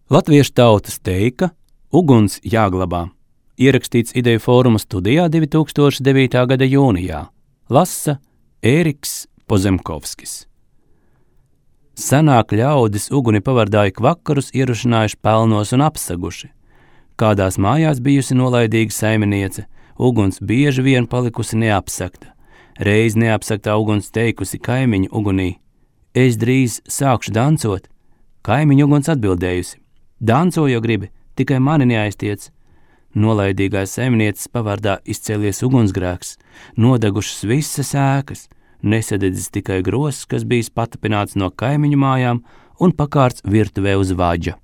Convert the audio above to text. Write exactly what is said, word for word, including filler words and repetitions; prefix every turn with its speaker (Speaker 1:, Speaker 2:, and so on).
Speaker 1: Latviešu tautas teika Uguns jāglabā. Ierakstīts Ideju fóruma studijā divi tūkstoši devītā gada jūnijā. Lasa Ēriks Pozemkovskis. Senāk ļaudis uguni pavardāja kvakarus ierušinājuši pelnos un apsaguši. Kādās mājās bijusi nolaidīga saimniece, uguns bieži vien palikusi neapsakta. Reiz neapsaktā uguns teikusi kaimiņu ugunī: es drīz sākšu dancot. Kaimiņu uguns atbildējusi: danco, jo gribi, tikai mani neaiztiec. Nolaidīgās saimnieces pavardā izcēlies ugunsgrēks, nodegušas visas ēkas, nesadedzis tikai gross, kas bijis patapināts no kaimiņu mājām un pakārts virtuvē uz vaģa.